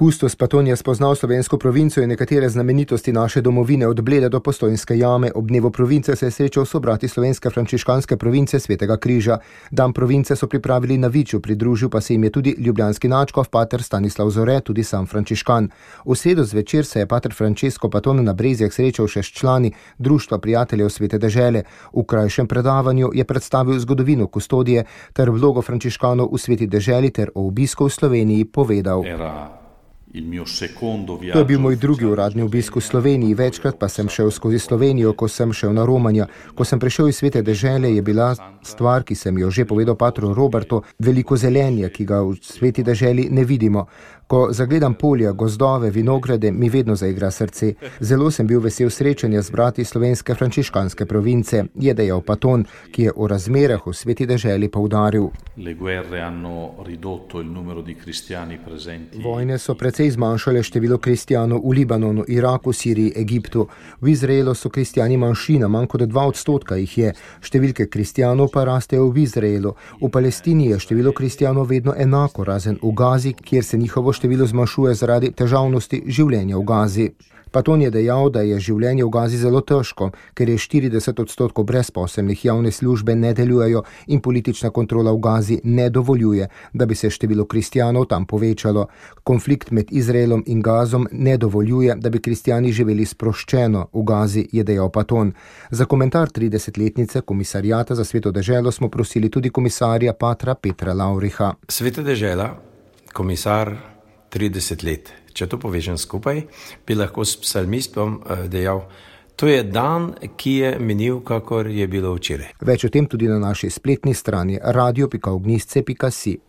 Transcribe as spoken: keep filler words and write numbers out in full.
Kustos Paton je spoznal slovensko provinco in nekatere znamenitosti naše domovine od Bleda do Postojnske jame. Ob dnevu province se je srečal s sobrati slovenske frančiškanske province Svetega križa. Dan province so pripravili na Viču, pridružil pa se jim je tudi ljubljanski nadškof pater Stanislav Zore, tudi sam frančiškan. V sredo zvečer se je pater Francesco Paton na Brezjah srečal še s člani Društva prijateljev Svete dežele. V krajšem predavanju je predstavil zgodovino kustodije ter vlogo frančiškanov v Sveti deželi ter o obisku v Sloveniji povedal. To je bil moj drugi uradni obisk v Sloveniji, večkrat pa sem šel skozi Slovenijo, ko sem šel na Romanja. Ko sem prišel iz Svete dežele, je bila stvar, ki sem jo že povedal patru Robertu, veliko zelenja, ki ga v Sveti deželi ne vidimo. Ko zagledam polja, gozdove, vinograde, mi vedno zaigra srce. Zelo sem bil vesel srečanja z brati slovenske frančiškanske province, je dejal Paton, ki je o razmerah v Sveti deželi poudaril. Vojne so precej zmanjšale število kristijanov v Libanonu, Iraku, Siriji, Egiptu. V Izraelu so kristijani manjšina, manj kot dva odstotka jih je. Številke kristijanov pa rastejo v Izraelu. V Palestini je število kristijanov vedno enako, razen v Gazi, kjer se njihovo število zmanjšuje zaradi težavnosti življenja v Gazi. Paton je dejal, da je življenje v Gazi zelo težko, ker je štirideset odstotkov brezposelnih, javne službe ne delujejo in politična kontrola v Gazi ne dovoljuje, da bi se število kristijanov tam povečalo. Konflikt med Izraelom in Gazom ne dovoljuje, da bi kristijani živeli sproščeno v Gazi, je dejal Paton. Za komentar tridesetletnice komisarjata za Sveto deželo smo prosili tudi komisarja patra Petra Lavriha. Sveta dežela, komisar trideset let. Če to povežem skupaj, bi lahko s psalmistom dejal, to je dan, ki je minil, kakor je bilo včeraj. Več o tem tudi na naši spletni strani radio pika ognjišče pika si.